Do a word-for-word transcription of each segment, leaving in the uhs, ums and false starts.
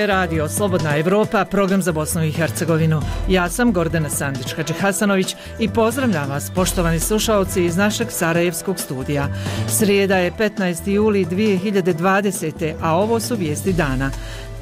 je radio Slobodna Evropa, program za Bosnu i Hercegovinu. Ja sam Gordana Sandić-Hadžihasanović i pozdravljam vas, poštovani slušaoci iz našeg sarajevskog studija. Srijeda je petnaesti juli dvije hiljade dvadesete. a ovo su vijesti dana.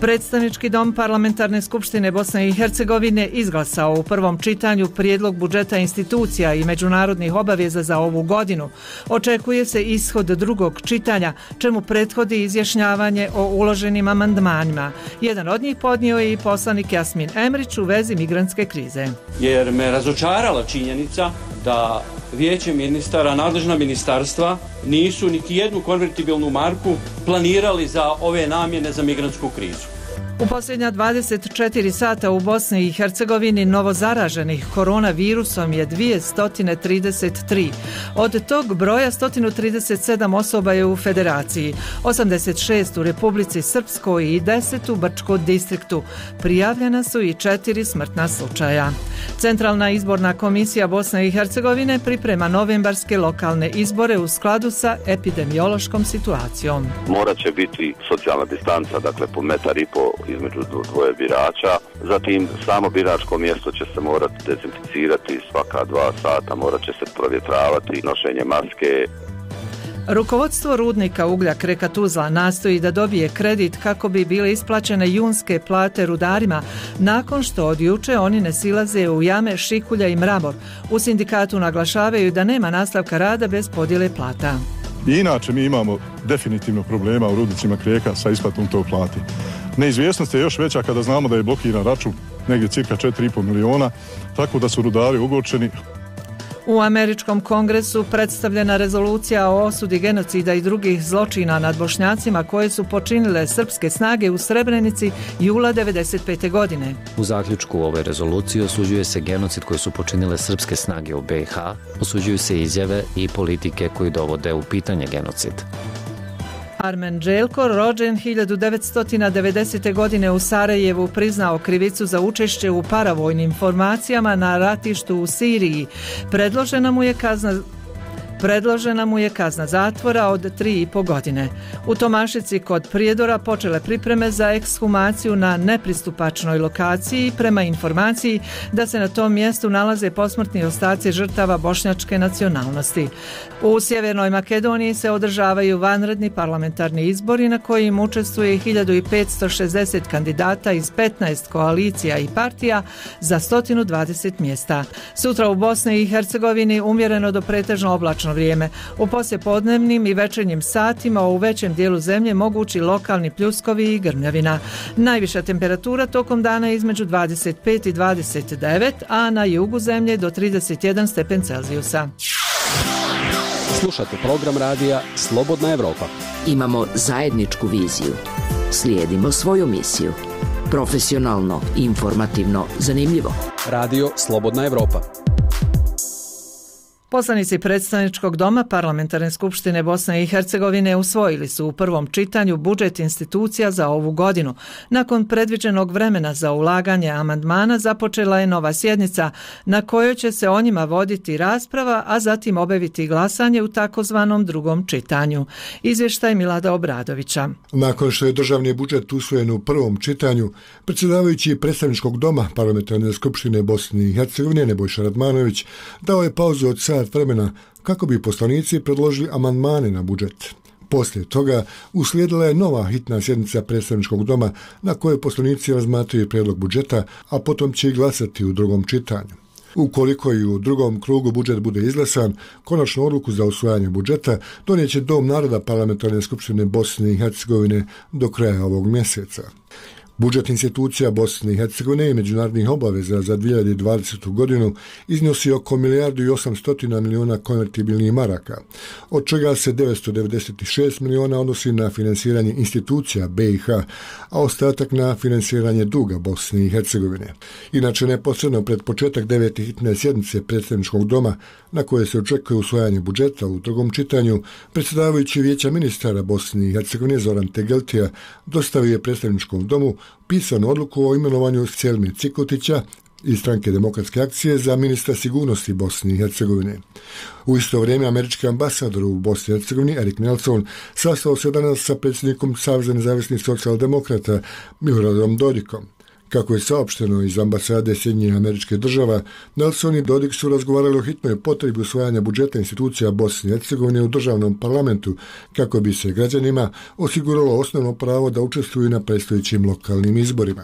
Predstavnički dom Parlamentarne skupštine Bosne i Hercegovine izglasao u prvom čitanju prijedlog budžeta institucija i međunarodnih obaveza za ovu godinu. Očekuje se ishod drugog čitanja, čemu prethodi izjašnjavanje o uloženim amandmanima. Jedan od njih podnio je i poslanik Jasmin Emrić u vezi migrantske krize. Jer me razočarala činjenica da Vijeće ministara, nadležna ministarstva nisu niti jednu konvertibilnu marku planirali za ove namjene za migrantsku krizu. U posljednja dvadeset četiri sata u Bosni i Hercegovini novozaraženih koronavirusom je dvjesto trideset tri. Od tog broja sto trideset sedam osoba je u Federaciji, osamdeset šest u Republici Srpskoj i deset u Brčkom distriktu. Prijavljena su i četiri smrtna slučaja. Centralna izborna komisija Bosne i Hercegovine priprema novembarske lokalne izbore u skladu sa epidemiološkom situacijom. Morat će biti socijalna distanca, dakle po metar i po između dvoje birača. Zatim samo biračko mjesto će se morati dezinficirati svaka dva sata, morat će se provjetravati, nošenje maske. Rukovodstvo rudnika uglja Kreka Tuzla nastoji da dobije kredit kako bi bile isplaćene junske plate rudarima nakon što od juče oni ne silaze u jame Šikulja i Mramor. U sindikatu naglašavaju da nema nastavka rada bez podjele plata. I inače mi imamo definitivno problema u rudnicima Kreka sa isplatom tog plati. Neizvjesnost je još veća kada znamo da je blokiran račun negdje cirka četiri i pol miliona, tako da su rudari ogorčeni. U Američkom kongresu predstavljena rezolucija o osudi genocida i drugih zločina nad Bošnjacima koje su počinile srpske snage u Srebrenici jula devedeset pete. godine. U zaključku ove rezolucije osuđuje se genocid koji su počinile srpske snage u be i ha, osuđuju se izjave i politike koji dovode u pitanje genocid. Armen Đelko, rođen hiljadu devetsto devedesete. godine u Sarajevu, priznao krivicu za učešće u paravojnim formacijama na ratištu u Siriji. Predložena mu je kazna Predložena mu je kazna zatvora od tri i po godine. U Tomašici kod Prijedora počele pripreme za ekshumaciju na nepristupačnoj lokaciji prema informaciji da se na tom mjestu nalaze posmrtni ostaci žrtava bošnjačke nacionalnosti. U Sjevernoj Makedoniji se održavaju vanredni parlamentarni izbori na kojim učestvuje hiljadu petsto šezdeset kandidata iz petnaest koalicija i partija za sto dvadeset mjesta. Sutra u Bosni i Hercegovini umjereno do pretežno oblačno vrijeme. U poslijepodnevnim i večernjim satima u većem dijelu zemlje mogući lokalni pljuskovi i grmljavina. Najviša temperatura tokom dana između dvadeset pet i dvadeset devet, a na jugu zemlje do trideset jedan stepen Celzijusa. Slušate program radija Slobodna Evropa. Imamo zajedničku viziju. Slijedimo svoju misiju. Profesionalno, informativno, zanimljivo. Radio Slobodna Evropa. Poslanici predstavničkog doma Parlamentarne skupštine Bosne i Hercegovine usvojili su u prvom čitanju budžet institucija za ovu godinu. Nakon predviđenog vremena za ulaganje amandmana započela je nova sjednica na kojoj će se o njima voditi rasprava, a zatim obaviti glasanje u takozvanom drugom čitanju. Izvještaj Milada Obradovića. Nakon što je državni budžet usvojen u prvom čitanju, predsjedavajući predstavničkog doma Parlamentarne skupštine Bosne i Hercegovine Nebojša Radmanović dao je pauzu od sat vremena kako bi poslanici predložili amandmane na budžet. Poslije toga uslijedila je nova hitna sjednica predstavničkog doma na kojoj poslanici razmatraju prijedlog budžeta, a potom će i glasati u drugom čitanju. Ukoliko i u drugom krugu budžet bude izglasan, konačnu odluku za usvajanje budžeta donijeće Dom naroda Parlamentarne skupštine Bosne i Hercegovine do kraja ovog mjeseca. Budžet institucija Bosne i Hercegovine i međunarodnih obaveza za dvije hiljade dvadesetu. godinu iznosi oko milijardu i osamsto miliona konvertibilnih maraka, od čega se devetsto devedeset šest miliona odnosi na finansiranje institucija be i ha, a ostatak na finansiranje duga Bosne i Hercegovine. Inače, neposredno pred početak devete hitne sjednice predstavničkog doma, na koje se očekuje usvajanje budžeta u drugom čitanju, predsjedavajući Vijeća ministara Bosne i Hercegovine Zoran Tegeltija dostavio je predstavničkom domu pisanu odluku o imenovanju Selmir Cikotića iz Stranke demokratske akcije za ministra sigurnosti Bosne i Hercegovine. U isto vrijeme američki ambasador u Bosni i Hercegovini Erik Nelson sastao se danas sa predsjednikom Saveza nezavisnih socijaldemokrata Miloradom Dodikom. Kako je saopšteno iz ambasade Sjedinjenih Američkih Država, Nelson i Dodik su razgovarali o hitnoj potrebi usvajanja budžeta institucija Bosne i Hercegovine u državnom parlamentu kako bi se građanima osiguralo osnovno pravo da učestvuju na predstojećim lokalnim izborima.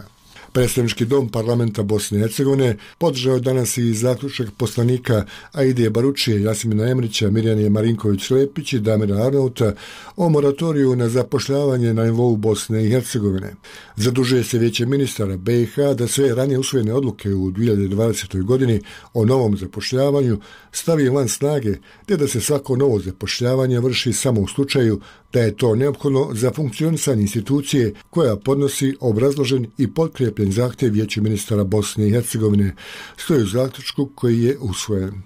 Predstavnički dom parlamenta Bosne i Hercegovine podržao je danas i zaključak poslanika Aide Baručije, Jasimina Emrića, Mirjane Marinković-Lepić i Damira Arnauta o moratoriju na zapošljavanje na nivou Bosne i Hercegovine. Zadužuje se Vijeće ministara B i H da sve ranije usvojene odluke u dvije hiljade dvadesetoj godini o novom zapošljavanju stavi van snage, te da se svako novo zapošljavanje vrši samo u slučaju da je to neophodno za funkcionisanje institucije koja podnosi obrazložen i potkrijepljen zahtjev Vijeću ministara Bosne i Hercegovine, stoji u zaključku koji je usvojen.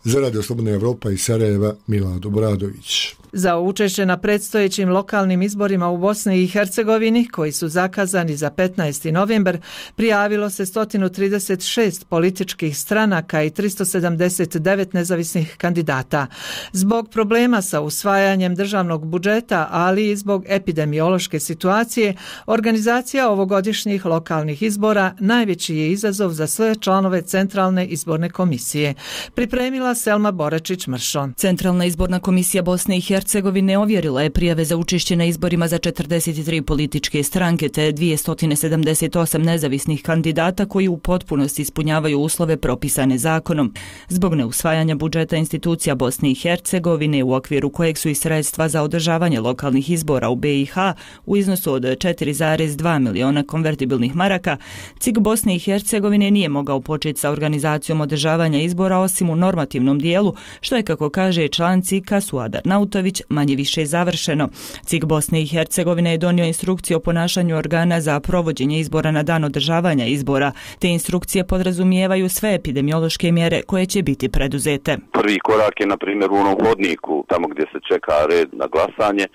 Za Radio Slobodna Evropa iz Sarajeva, Milad Obradović. Za učešće na predstojećim lokalnim izborima u Bosni i Hercegovini, koji su zakazani za petnaesti novembar, prijavilo se sto trideset šest političkih stranaka i tristo sedamdeset devet nezavisnih kandidata. Zbog problema sa usvajanjem državnog budžeta, ali i zbog epidemiološke situacije, organizacija ovogodišnjih lokalnih izbora najveći je izazov za sve članove Centralne izborne komisije. Pripremila Selma Boračić-Mršo. Centralna izborna komisija Bosne i Hercegovine ovjerila je prijave za učešće na izborima za četrdeset tri političke stranke te dvjesto sedamdeset osam nezavisnih kandidata koji u potpunosti ispunjavaju uslove propisane zakonom. Zbog neusvajanja budžeta institucija Bosne i Hercegovine u okviru kojeg su i sredstva za održavanje lokalnih izbora u B i H u iznosu od četiri zarez dva miliona konvertibilnih maraka, C I G Bosne i Hercegovine nije mogao početi sa organizacijom održavanja izbora osim u normativnom dijelu, što je, kako kaže član C I K-a Suadar Nautović, manje više završeno. C I G Bosne i Hercegovine je donio instrukcije o ponašanju organa za provođenje izbora na dan održavanja izbora. Te instrukcije podrazumijevaju sve epidemiološke mjere koje će biti preduzete. Prvi korak je, na primjer, u onom hodniku, tamo gdje se čeka red na glasanje,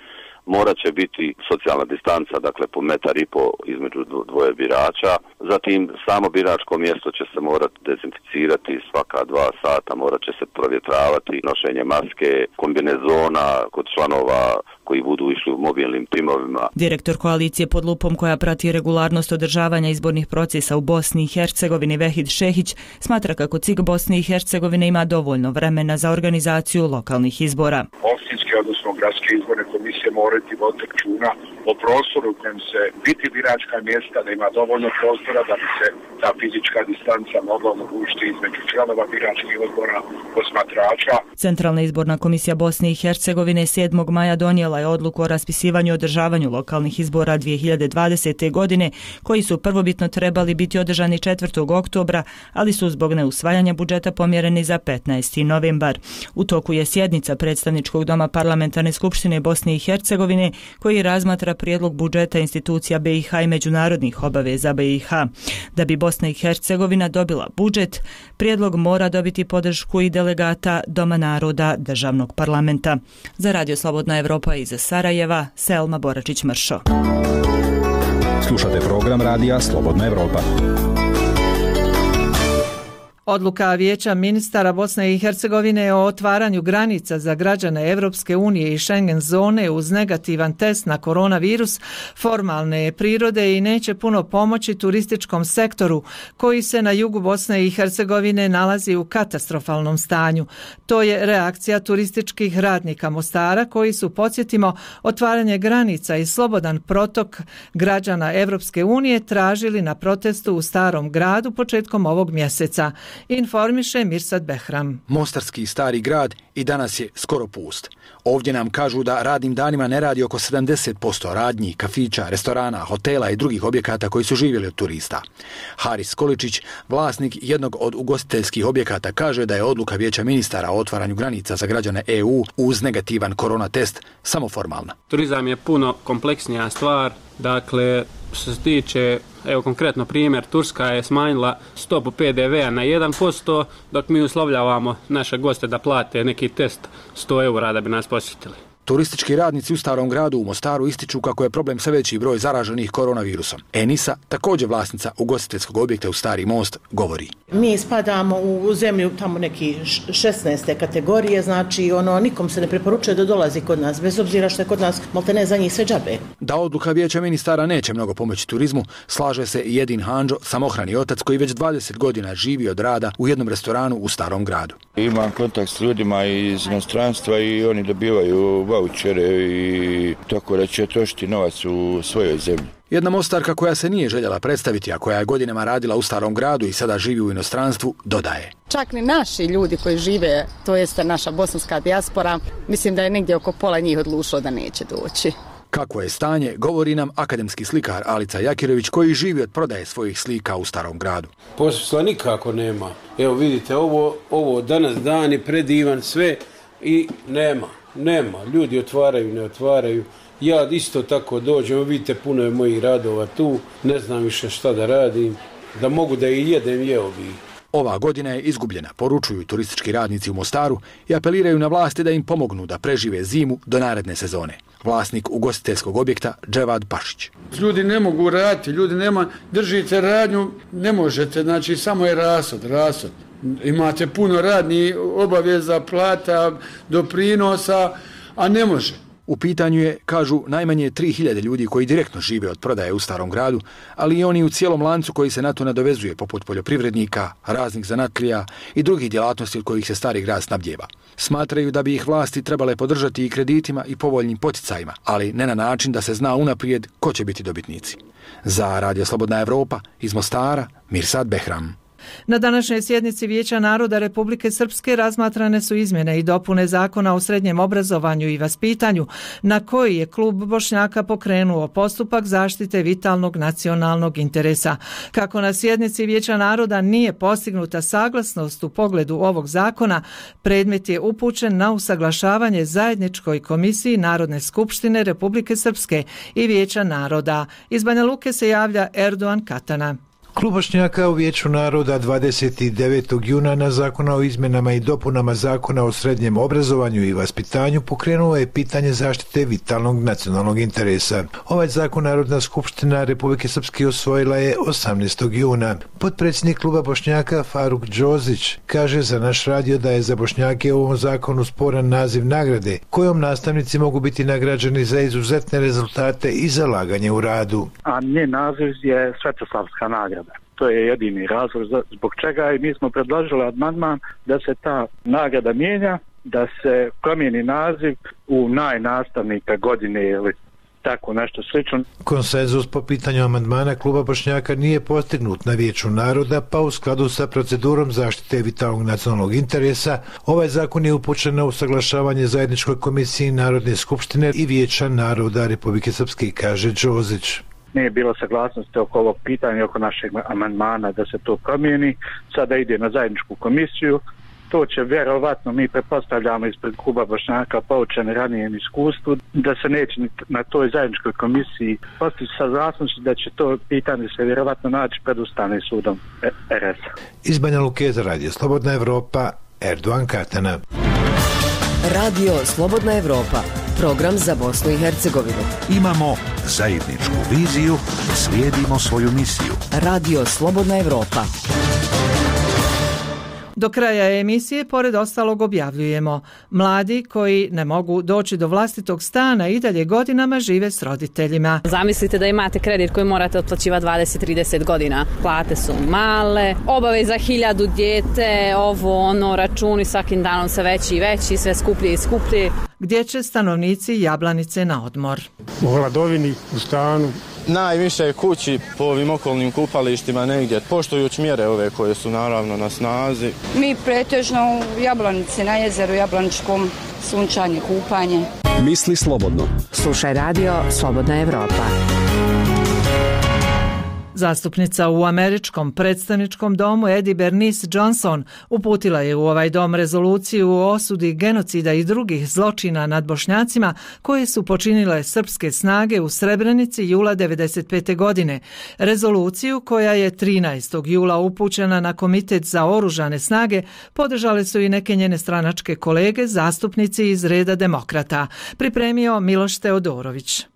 morat će biti socijalna distanca, dakle po metar i po između dvoje birača. Zatim samo biračko mjesto će se morati dezinficirati svaka dva sata, morat će se provjetravati, nošenje maske, kombinezona kod članova koji budu išli u mobilnim timovima. Direktor koalicije pod lupom koja prati regularnost održavanja izbornih procesa u Bosni i Hercegovini Vehid Šehić smatra kako C I G Bosne i Hercegovine ima dovoljno vremena za organizaciju lokalnih izbora. Općinske, odnosno gradske izborne komisije moraju voditi računa o prostoru u kojem se biti biračka mjesta, da ima dovoljno prostora da bi se ta fizička distanca mogla omogućiti između članova biračkih odbora, posmatrača. Centralna izborna komisija Bosne i Hercegovine sedmog maja donijela je odluku o raspisivanju i održavanju lokalnih izbora dvije hiljade dvadesete. godine, koji su prvobitno trebali biti održani četvrtog oktobra, ali su zbog neusvajanja budžeta pomjereni za petnaesti novembar. U toku je sjednica predstavničkog doma Parlamentarne skupštine Bosne i Hercegovine koji razmatra prijedlog budžeta institucija B i H i međunarodnih obaveza B i H. Da bi Bosna i Hercegovina dobila budžet, prijedlog mora dobiti podršku i delegata Doma naroda državnog parlamenta. Za Radio Slobodna Evropa iz Sarajeva, Selma Boračić-Mršo. Slušate program Radija Slobodna Evropa. Odluka Vijeća ministara Bosne i Hercegovine o otvaranju granica za građane Evropske unije i Schengen zone uz negativan test na koronavirus formalne je prirode i neće puno pomoći turističkom sektoru koji se na jugu Bosne i Hercegovine nalazi u katastrofalnom stanju. To je reakcija turističkih radnika Mostara koji su, podsjetimo, otvaranje granica i slobodan protok građana Evropske unije tražili na protestu u Starom gradu početkom ovog mjeseca. Informiše Mirsad Behram. Mostarski Stari grad i danas je skoro pust. Ovdje nam kažu da radnim danima ne radi oko sedamdeset posto radnji, kafića, restorana, hotela i drugih objekata koji su živjeli od turista. Haris Količić, vlasnik jednog od ugostiteljskih objekata, kaže da je odluka Vijeća ministara o otvaranju granica za građane E U uz negativan korona test samo formalna. Turizam je puno kompleksnija stvar, dakle što se tiče, evo konkretno primjer, Turska je smanjila stopu P D V-a na jedan posto, dok mi uslovljavamo naše goste da plate neki test sto eura da bi nas posjetili. Turistički radnici u Starom gradu u Mostaru ističu kako je problem sve veći broj zaraženih koronavirusom. Enisa, također vlasnica ugostiteljskog objekta u Stari Most, govori. Mi spadamo u zemlju tamo neki šesnaeste kategorije, znači ono nikom se ne preporučuje da dolazi kod nas, bez obzira što je kod nas maltene za njih sve džabe. Da odluka vijeća ministara neće mnogo pomoći turizmu, slaže se i Jedin Handžo, samohrani otac koji već dvadeset godina živi od rada u jednom restoranu u Starom gradu. Imam kontakt s ljudima iz inostranstva i oni dobivaju vaučere i tako da će trošiti novac u svojoj zemlji. Jedna Mostarka koja se nije željela predstaviti, a koja je godinama radila u Starom gradu i sada živi u inostranstvu, dodaje. Čak ni naši ljudi koji žive, to jeste naša bosanska dijaspora, mislim da je negdje oko pola njih odlučilo da neće doći. Kako je stanje, govori nam akademski slikar Alica Jakirović koji živi od prodaje svojih slika u Starom gradu. Posla nikako nema. Evo vidite, ovo, ovo danas dan je predivan sve i nema, nema. Ljudi otvaraju, ne otvaraju. Ja isto tako dođem, vidite, puno je mojih radova tu, ne znam više šta da radim, da mogu da i jedem, jeo bi. Ova godina je izgubljena, poručuju turistički radnici u Mostaru i apeliraju na vlasti da im pomognu da prežive zimu do naredne sezone. Vlasnik ugostiteljskog objekta Dževad Pašić. Ljudi ne mogu raditi, ljudi nema, držite radnju, ne možete, znači samo je rasod, rasod. Imate puno radnih obaveza, plata, doprinosa, a ne može. U pitanju je, kažu, najmanje tri hiljade ljudi koji direktno žive od prodaje u Starom gradu, ali i oni u cijelom lancu koji se na to nadovezuje, poput poljoprivrednika, raznih zanatlija i drugih djelatnosti od kojih se Stari grad snabdijeva. Smatraju da bi ih vlasti trebale podržati i kreditima i povoljnim poticajima, ali ne na način da se zna unaprijed ko će biti dobitnici. Za Radio Slobodna Evropa, iz Mostara, Mirsad Behram. Na današnjoj sjednici Vijeća naroda Republike Srpske razmatrane su izmjene i dopune Zakona o srednjem obrazovanju i vaspitanju, na koji je klub Bošnjaka pokrenuo postupak zaštite vitalnog nacionalnog interesa. Kako na sjednici Vijeća naroda nije postignuta saglasnost u pogledu ovog zakona, predmet je upućen na usaglašavanje zajedničkoj komisiji Narodne skupštine Republike Srpske i Vijeća naroda. Iz Banja Luke se javlja Erdogan Katana. Klub Bošnjaka u Vijeću naroda dvadeset devetog juna na Zakona o izmjenama i dopunama Zakona o srednjem obrazovanju i vaspitanju pokrenuo je pitanje zaštite vitalnog nacionalnog interesa. Ovaj zakon Narodna skupština Republike Srpske usvojila je osamnaestog juna. Potpredsjednik kluba Bošnjaka Faruk Đozić kaže za naš radio da je za Bošnjake u ovom zakonu sporan naziv nagrade, kojom nastavnici mogu biti nagrađeni za izuzetne rezultate i zalaganje u radu. A njen naziv je Svetoslavska nagrada. To je jedini razlog zbog čega i mi smo predložili amandman da se ta nagrada mijenja, da se promijeni naziv u najnastavnika godine ili tako nešto slično. Konsenzus po pitanju amandmana kluba Bošnjaka nije postignut na Vijeću naroda, pa u skladu sa procedurom zaštite vitalnog nacionalnog interesa, ovaj zakon je upućen na usaglašavanje zajedničkoj komisiji Narodne skupštine i Vijeća naroda Republike Srpske, kaže Đozić. Nije bilo saglasnosti oko ovog pitanja, oko našeg amandmana da se to promijeni. Sada ide na zajedničku komisiju. To će vjerovatno, mi pretpostavljamo ispred kluba Bošnjaka poučeni ranijem iskustvu, da se neće na toj zajedničkoj komisiji postići saglasnosti da će to pitanje se vjerovatno naći pred Ustavnim sudom R S. Iz Banja Luke za Radio Slobodna Evropa, Erdogan Katana. Radio Slobodna Evropa, program za Bosnu i Hercegovinu. Imamo zajedničku viziju, slijedimo svoju misiju. Radio Slobodna Evropa. Do kraja emisije, pored ostalog, objavljujemo: mladi koji ne mogu doći do vlastitog stana i dalje godinama žive s roditeljima. Zamislite da imate kredit koji morate otplaćivati dvadeset do trideset godina. Plate su male, obaveza hiljadu dijete, ovo ono, računi svakim danom sve veći i veći, sve skuplje i skuplje. Gdje će stanovnici Jablanice na odmor? U hladovini, u stanu. Najviše kući po ovim okolnim kupalištima negdje, poštujući mjere ove koje su naravno na snazi. Mi pretežno u Jablanici, na jezeru Jablaničkom, sunčanje, kupanje. Misli slobodno. Slušaj Radio Slobodna Evropa. Zastupnica u američkom predstavničkom domu Eddie Bernice Johnson uputila je u ovaj dom rezoluciju o osudi genocida i drugih zločina nad Bošnjacima koje su počinile srpske snage u Srebrenici jula devedeset pete. godine. Rezoluciju koja je trinaestog jula upućena na Komitet za oružane snage podržale su i neke njene stranačke kolege, zastupnici iz reda demokrata. Pripremio Miloš Teodorović.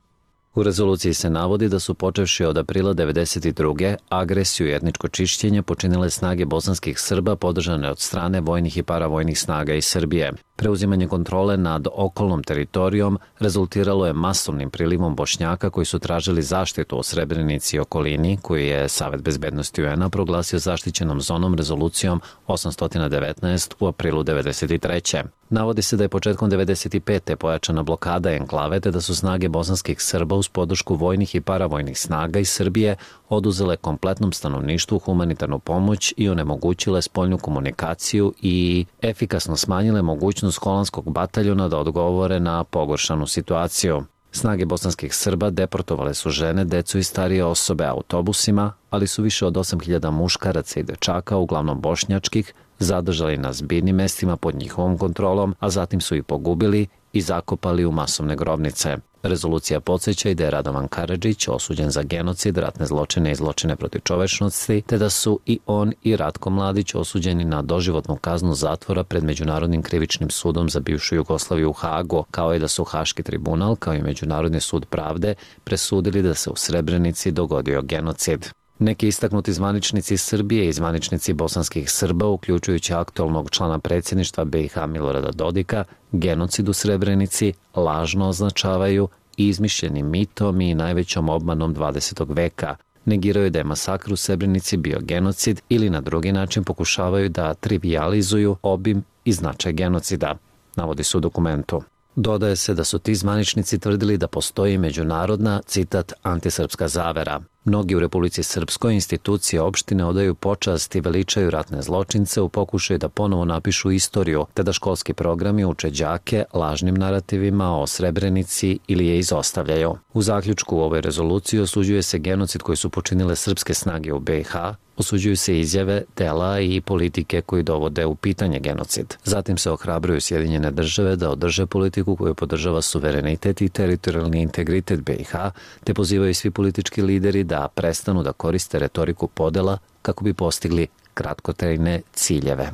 U rezoluciji se navodi da su počevši od aprila devedeset druge agresiju i etničko čišćenje počinile snage bosanskih Srba podržane od strane vojnih i paravojnih snaga iz Srbije. Preuzimanje kontrole nad okolnom teritorijom rezultiralo je masovnim prilivom Bošnjaka koji su tražili zaštitu u Srebrenici i okolini, koju je Savet bezbednosti U N A proglasio zaštićenom zonom rezolucijom osamsto devetnaest u aprilu devedeset treće. Navodi se da je početkom devedeset pete pojačana blokada enklave te da su snage bosanskih Srba uz podršku vojnih i paravojnih snaga iz Srbije oduzele kompletnom stanovništvu humanitarnu pomoć i onemogućile spoljnu komunikaciju i efikasno smanjile mogućnost holandskog bataljona da odgovore na pogoršanu situaciju. Snage bosanskih Srba deportovale su žene, decu i starije osobe autobusima, ali su više od osam hiljada muškaraca i dečaka, uglavnom bošnjačkih, zadržali na zbirnim mestima pod njihovom kontrolom, a zatim su ih pogubili i zakopali u masovne grobnice. Rezolucija podsjeća i da je Radovan Karadžić osuđen za genocid, ratne zločine i zločine protiv čovečnosti, te da su i on i Ratko Mladić osuđeni na doživotnu kaznu zatvora pred Međunarodnim krivičnim sudom za bivšu Jugoslaviju u Hagu, kao i da su Haški tribunal, kao i Međunarodni sud pravde, presudili da se u Srebrenici dogodio genocid. Neki istaknuti zvaničnici Srbije i zvaničnici bosanskih Srba, uključujući aktualnog člana predsjedništva B i H Milorada Dodika, genocid u Srebrenici lažno označavaju izmišljenim mitom i najvećom obmanom dvadesetog veka. Negiraju da je masakr u Srebrenici bio genocid ili na drugi način pokušavaju da trivijalizuju obim i značaj genocida, navodi se u dokumentu. Dodaje se da su ti zvaničnici tvrdili da postoji međunarodna, citat, antisrpska zavera. Mnogi u Republici Srpskoj institucije opštine odaju počast i veličaju ratne zločince u pokušaju da ponovo napišu istoriju, te da školski programi uče đake lažnim narativima o Srebrenici ili je izostavljaju. U zaključku u ovoj rezoluciji osuđuje se genocid koji su počinile srpske snage u B i H, osuđuju se izjave, dela i politike koji dovode u pitanje genocid. Zatim se ohrabruju Sjedinjene države da održe politiku koju podržava suverenitet i teritorijalni integritet B i H, te pozivaju svi politički lideri da prestanu da koriste retoriku podela kako bi postigli kratkotrajne ciljeve.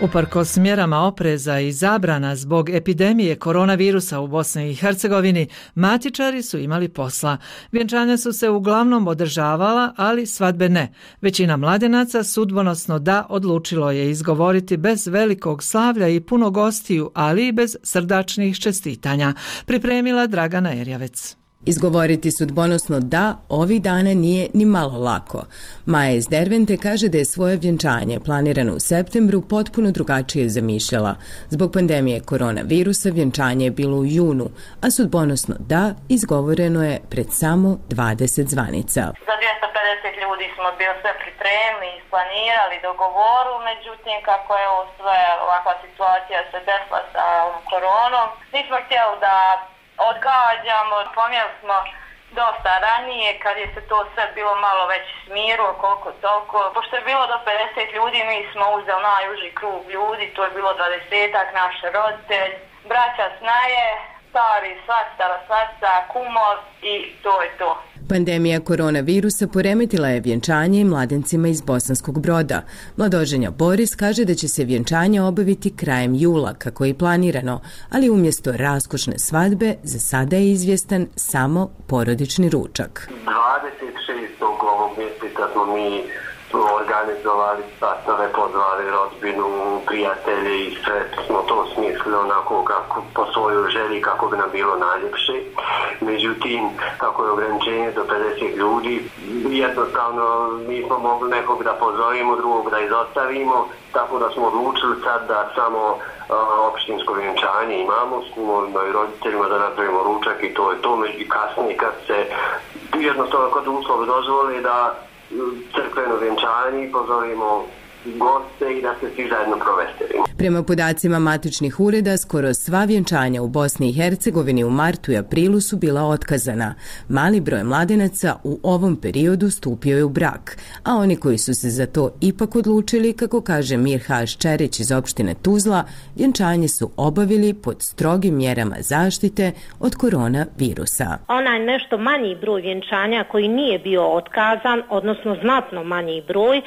Uprkos mjerama opreza i zabrana zbog epidemije koronavirusa u Bosni i Hercegovini, matičari su imali posla. Vjenčanja su se uglavnom održavala, ali svadbe ne. Većina mladenaca sudbonosno da odlučilo je izgovoriti bez velikog slavlja i puno gostiju, ali i bez srdačnih čestitanja. Pripremila Dragana Erjavec. Izgovoriti sudbonosno da ovih dana nije ni malo lako. Maja iz Dervente kaže da je svoje vjenčanje planirano u septembru potpuno drugačije zamišljala. Zbog pandemije koronavirusa vjenčanje je bilo u junu, a sudbonosno da izgovoreno je pred samo dvadeset zvanica. Za dvjesto pedeset ljudi smo bili sve pripremili, isplanirali, dogovoru, međutim kako je ovo sve ovakva situacija se desila sa koronom, nismo htjeli da odgađamo, pomjeli smo dosta ranije kad je se to sve bilo malo već smirilo, koliko toliko. Pošto je bilo do pedeset ljudi, mi smo uzeli najuži krug ljudi, to je bilo dvadesetak, naš roditelj, braća snaje, stari svastara, svasta, kumov i to je to. Pandemija koronavirusa poremetila je vjenčanje mladencima iz Bosanskog Broda. Mladoženja Boris kaže da će se vjenčanje obaviti krajem jula, kako je planirano, ali umjesto raskošne svadbe za sada je izvjestan samo porodični ručak. dvadeset šestog ovog mjeseca smo mi organizovali sastave, pozvali rodbinu, prijatelje i sve smo to smislili onako kako, po svojoj želji kako bi nam bilo najljepše. Međutim, kako je ograničenje do pedeset ljudi, jednostavno nismo mogli nekog da pozovimo, drugog da izostavimo, tako da smo odlučili sad da samo uh, opštinsko vjenčanje imamo s kumovima i roditeljima, da napravimo ručak i to je to. I kasnije kad se jednostavno kod uslovi dozvoli da crkveno vjenčanje i pozovimo goste i da se svi zajedno proveselimo. Prema podacima matičnih ureda, skoro sva vjenčanja u Bosni i Hercegovini u martu i aprilu su bila otkazana. Mali broj mladenaca u ovom periodu stupio je u brak, a oni koji su se za to ipak odlučili, kako kaže Mirhaš Čerić iz opštine Tuzla, vjenčanje su obavili pod strogim mjerama zaštite od koronavirusa. Onaj nešto manji broj vjenčanja koji nije bio otkazan, odnosno znatno manji broj, e,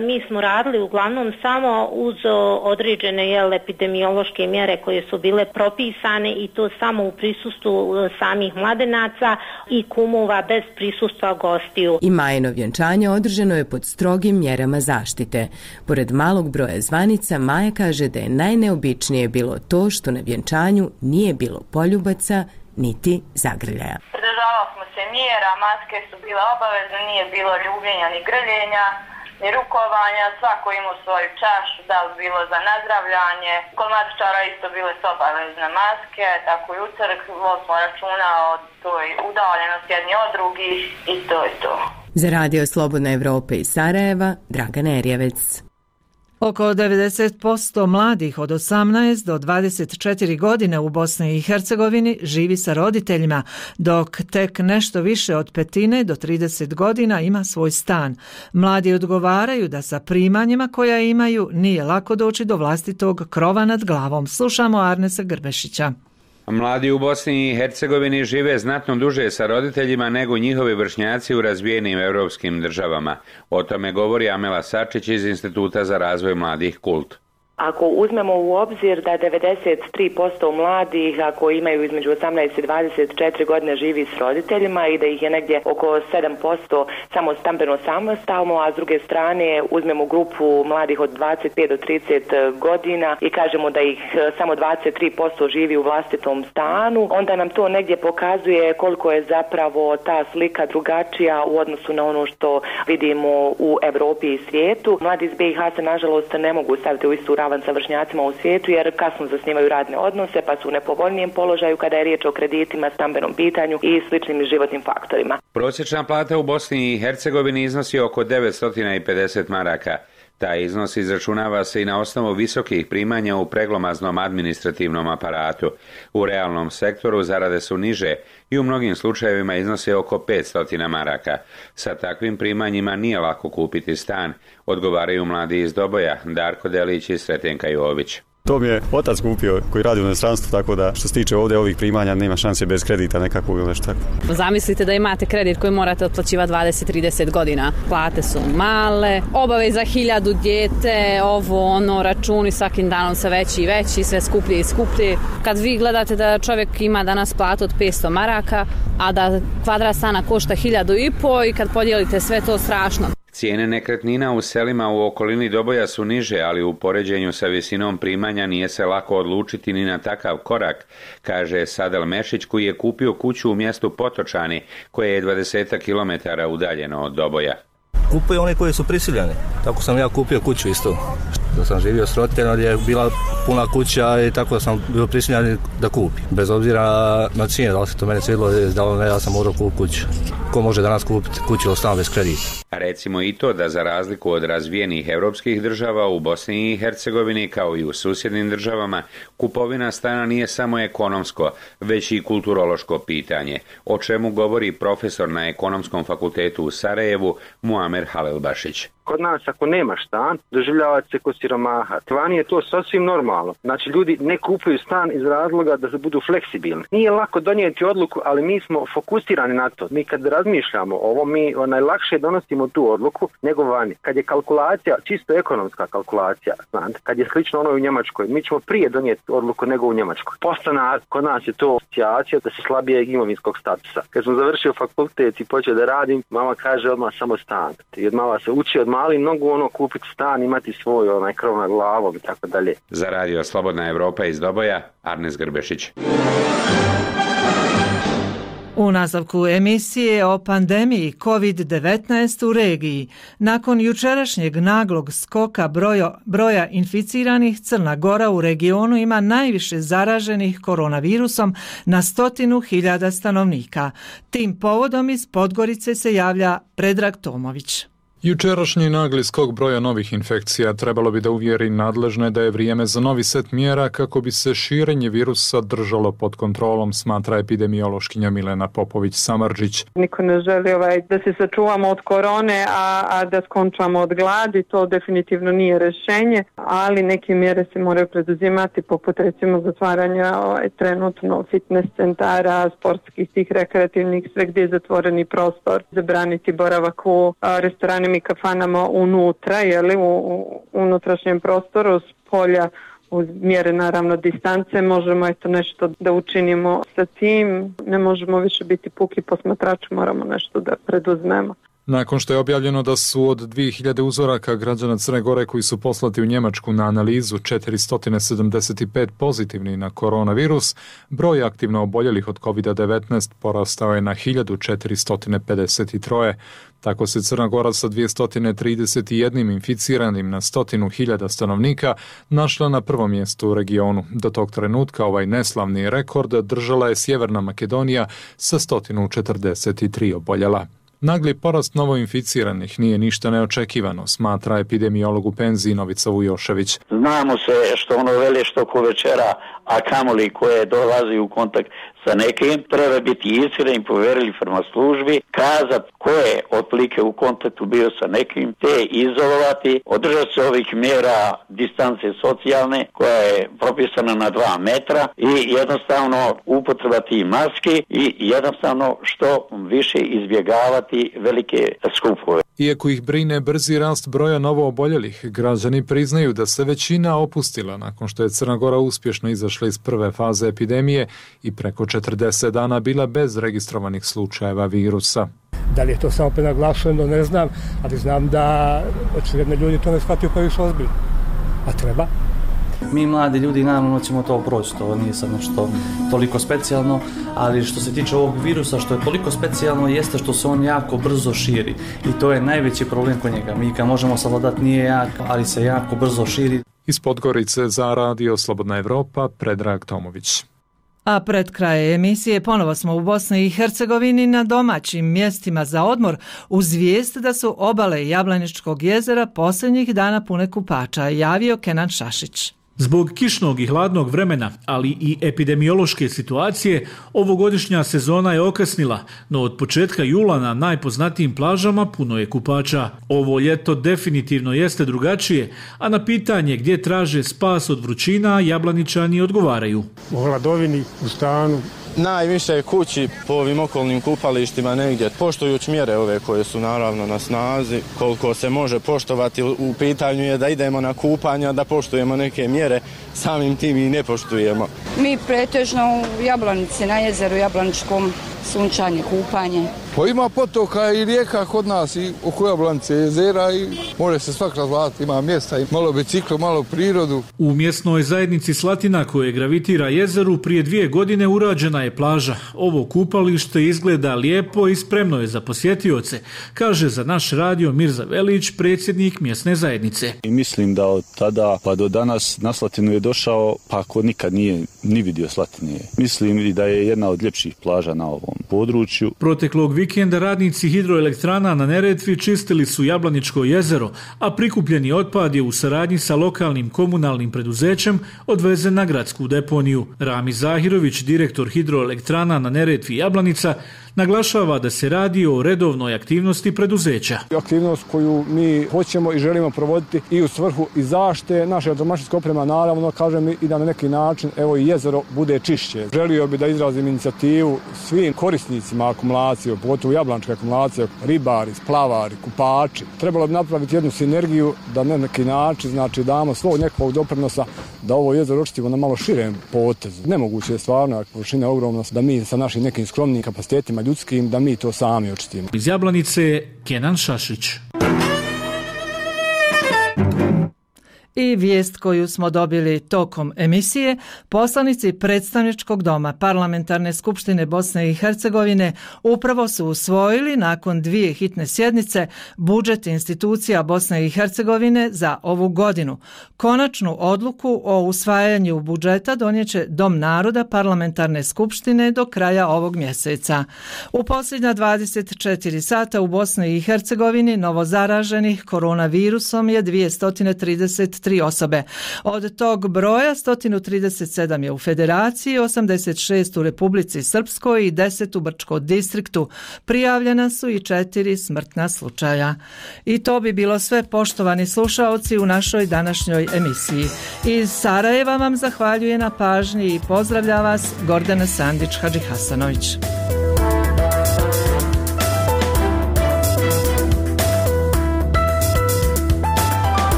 mi smo radili uglavnom samo uz određene jel, epidemiološke mjere koje su bile propisane i to samo u prisustvu samih mladenaca i kumova bez prisustva gostiju. I Majino vjenčanje održano je pod strogim mjerama zaštite. Pored malog broja zvanica, Maja kaže da je najneobičnije bilo to što na vjenčanju nije bilo poljubaca niti zagrljaja. Pridržavali smo se mjera, maske su bile obavezne, nije bilo ljubljenja ni grljenja, ni rukovanja, svako imao svoju čašu, da li bilo za nazdravljanje. Kod matičara isto bile su obavezne maske, tako i u crkvi smo računa od toj udaljenosti jedni od drugih i to je to. Za Radio Slobodna Evropa iz Sarajeva, Dragana Erjevec. Oko devedeset posto mladih od osamnaest do dvadeset četiri godine u Bosni i Hercegovini živi sa roditeljima, dok tek nešto više od petine do trideset godina ima svoj stan. Mladi odgovaraju da sa primanjima koja imaju nije lako doći do vlastitog krova nad glavom. Slušamo Arnesa Grbešića. Mladi u Bosni i Hercegovini žive znatno duže sa roditeljima nego njihovi vršnjaci u razvijenim europskim državama. O tome govori Amela Sačić iz Instituta za razvoj mladih Kult. Ako uzmemo u obzir da devedeset tri posto mladih, ako imaju između osamnaest i dvadeset četiri godine, živi s roditeljima i da ih je negdje oko sedam posto samo stambeno samostalno, a s druge strane uzmemo grupu mladih od dvadeset pet do trideset godina i kažemo da ih samo dvadeset tri posto živi u vlastitom stanu, onda nam to negdje pokazuje koliko je zapravo ta slika drugačija u odnosu na ono što vidimo u Evropi i svijetu. Mladi iz be i ha se nažalost ne mogu staviti u istu ravan sa vršnjacima u svijetu jer kasno zasnivaju radne odnose pa su u nepovoljnijem položaju kada je riječ o kreditima, stambenom pitanju i sličnim životnim faktorima. Prosječna plata u Bosni i Hercegovini iznosi oko devetsto pedeset maraka. Taj iznos izračunava se i na osnovu visokih primanja u preglomaznom administrativnom aparatu. U realnom sektoru zarade su niže i u mnogim slučajevima iznose oko petsto maraka. Sa takvim primanjima nije lako kupiti stan, odgovaraju mladi iz Doboja, Darko Delić i Sretenka Jović. To mi je otac kupio koji radi u inostranstvu, tako da što se tiče ovdje ovih primanja nema šanse bez kredita nekakvog ili nešto tako. Zamislite da imate kredit koji morate otplaćivati dvadeset do trideset godina. Plate su male, obaveza hiljadu dijete, ovo ono, računi svakim danom sve veći i veći, sve skuplje i skuplje. Kad vi gledate da čovjek ima danas platu od petsto maraka, a da kvadrat stana košta hiljadu i po i kad podijelite sve to strašno. Cijene nekretnina u selima u okolini Doboja su niže, ali u poređenju sa visinom primanja nije se lako odlučiti ni na takav korak, kaže Sadel Mešić koji je kupio kuću u mjestu Potočani, koje je dvadeset kilometara udaljeno od Doboja. Kupuju oni koji su prisiljeni. Tako sam ja kupio kuću isto. Da sam živio s roditeljima je bila puna kuća i tako da sam bio prisiljen da kupim. Bez obzira na cijene, da li se to mene svidilo, da li ne, ja sam morao kupiti kuću. Ko može danas kupiti kuću ili stan bez kredita? Recimo i to da za razliku od razvijenih europskih država u Bosni i Hercegovini kao i u susjednim državama, kupovina stana nije samo ekonomsko, već i kulturološko pitanje, o čemu govori profesor na Ekonomskom fakultetu u Sarajevu Muamer Halilbašić. Kod nas ako nemaš stan, doživljava se kod siromaha. Vani je to sasvim normalno. Znači ljudi ne kupuju stan iz razloga da se budu fleksibilni. Nije lako donijeti odluku, ali mi smo fokusirani na to. Mi kad razmišljamo o ovo, mi najlakše donosimo tu odluku nego vani. Kad je kalkulacija, čisto ekonomska kalkulacija, znate, kad je slično ono u Njemačkoj, mi ćemo prije donijeti odluku nego u Njemačkoj. Postanar, kod nas je to asocijacija da se slabije imovinskog statusa. Kad sam završio fakultet i počeo da radim, mama kaže odmah samo stan. I od mala se uči od mali mnogo ono kupiti stan, imati svoj onaj krov nad glavom i tako dalje. Za Radio Slobodna Evropa iz Doboja, Arnes Grbešić. U nastavku emisije o pandemiji kovid devetnaest u regiji. Nakon jučerašnjeg naglog skoka broja, broja inficiranih, Crna Gora u regionu ima najviše zaraženih koronavirusom na stotinu hiljada stanovnika. Tim povodom iz Podgorice se javlja Predrag Tomović. Jučerašnji nagli skok broja novih infekcija trebalo bi da uvjeri nadležne da je vrijeme za novi set mjera kako bi se širenje virusa držalo pod kontrolom, smatra epidemiološkinja Milena Popović-Samardžić. Niko ne želi ovaj, da se sačuvamo od korone, a, a da skončamo od gladi, to definitivno nije rješenje, ali neke mjere se moraju preduzimati, poput recimo zatvaranja ovaj, trenutno fitness centara, sportskih tih rekreativnih, sve gdje je zatvoreni prostor, zabraniti boravak u a, restoranima i kafanama unutra, jeli, u, u unutrašnjem prostoru, s polja, uz mjere naravno distance, možemo eto nešto da učinimo sa tim, ne možemo više biti puki posmatrači, moramo nešto da preduzmemo. Nakon što je objavljeno da su od dvije hiljade uzoraka građana Crne Gore koji su poslati u Njemačku na analizu četiristo sedamdeset pet pozitivni na koronavirus, broj aktivno oboljelih od kovid devetnaest porastao je na hiljadu četiristo pedeset tri. Tako se Crna Gora sa dvjesto trideset jedan inficiranim na stotinu hiljada stanovnika našla na prvom mjestu u regionu. Do tog trenutka ovaj neslavni rekord držala je Sjeverna Makedonija sa sto četrdeset tri oboljela. Nagli porast novoinficiranih nije ništa neočekivano, smatra epidemiolog u penziji Novica Vujošević. Znamo se što ono veli što ko večera, a kamoli koje dolazi u kontakt sa nekim, treba biti iskren i povjerili prema službi, kazati ko je otprilike u kontaktu bio sa nekim, te izolovati, održati se ovih mjera distance socijalne koja je propisana na dva metra i jednostavno upotreba tih maski i jednostavno što više izbjegavati velike skupove. Iako ih brine brzi rast broja novooboljelih, građani priznaju da se većina opustila nakon što je Crna Gora uspješno izašla iz prve faze epidemije i preko četrdeset dana bila bez registrovanih slučajeva virusa. Da li je to samo prenaglašeno, ne znam, ali znam da očigledno ljudi to ne shvatio pa više ozbiljno. A treba? Mi mladi ljudi naravno ćemo to proći, to nije sad nešto toliko specijalno, ali što se tiče ovog virusa, što je toliko specijalno jeste što se on jako brzo širi i to je najveći problem kod njega. Mi ga možemo savladati, nije jak, ali se jako brzo širi. Iz Podgorice za Radio Slobodna Evropa, Predrag Tomović. A pred kraj emisije ponovo smo u Bosni i Hercegovini na domaćim mjestima za odmor uz vijest da su obale Jablaničkog jezera posljednjih dana pune kupača, javio Kenan Šašić. Zbog kišnog i hladnog vremena, ali i epidemiološke situacije, ovogodišnja sezona je okasnila, no od početka jula na najpoznatijim plažama puno je kupača. Ovo ljeto definitivno jeste drugačije, a na pitanje gdje traže spas od vrućina, Jablaničani odgovaraju. U hladovini, u stanu. Najviše kući po ovim okolnim kupalištima negdje, poštujući mjere ove koje su naravno na snazi, koliko se može poštovati, u pitanju je da idemo na kupanja, da poštujemo neke mjere, samim tim i ne poštujemo. Mi pretežno u Jablanici, na jezeru Jablaničkom, sunčanje, kupanje. Pa ima potoka i rijeka kod nas i oko Jablanice jezera i može se svak razvlatiti, ima mjesta i malo biciklo, malo prirodu. U mjesnoj zajednici Slatina koje gravitira jezeru prije dvije godine urađena je plaža. Ovo kupalište izgleda lijepo i spremno je za posjetioce, kaže za naš radio Mirza Velić, predsjednik mjesne zajednice. I mislim da od tada pa do danas na Slatinu je došao pa ako nikad nije ni vidio Slatine. Mislim i da je jedna od ljepših plaža na ovom području. Proteklog vikenda radnici hidroelektrana na Neretvi čistili su Jablaničko jezero, a prikupljeni otpad je u saradnji sa lokalnim komunalnim preduzećem odvezen na gradsku deponiju. Rami Zahirović, direktor hidroelektrana na Neretvi Jablanica, naglašava da se radi o redovnoj aktivnosti preduzeća. Aktivnost koju mi hoćemo i želimo provoditi i u svrhu i zaštite naše domaćinske opreme, naravno, kažem i da na neki način evo i jezero bude čišće. Želio bi da izrazim inicijativu svim korisnicima akumulacije, pogotovo Jablaničke akumulacije, ribari, splavari, kupači. Trebalo bi napraviti jednu sinergiju da na neki način znači damo svog nekog doprinosa da ovo jezero očistimo na malo širem potezu. Nemoguće je stvarno, površina je ogromna, da mi sa našim nekim skromnim kapacitetima ljudskim, da mi to sami očistimo. Iz Jablanice, Kenan Šašić. I vijest koju smo dobili tokom emisije, poslanici predstavničkog doma Parlamentarne skupštine Bosne i Hercegovine upravo su usvojili nakon dvije hitne sjednice budžet institucija Bosne i Hercegovine za ovu godinu. Konačnu odluku o usvajanju budžeta donijeće Dom naroda Parlamentarne skupštine do kraja ovog mjeseca. U posljednja dvadeset četiri sata u Bosni i Hercegovini novozaraženih koronavirusom je dvjesto trideset tri osobe. Od tog broja sto trideset sedam je u Federaciji, osamdeset šest u Republici Srpskoj i deset u Brčkom distriktu. Prijavljena su i četiri smrtna slučaja. I to bi bilo sve, poštovani slušaoci, u našoj današnjoj emisiji. Iz Sarajeva vam zahvaljuje na pažnji i pozdravlja vas Gordana Sandić Hadžihasanović.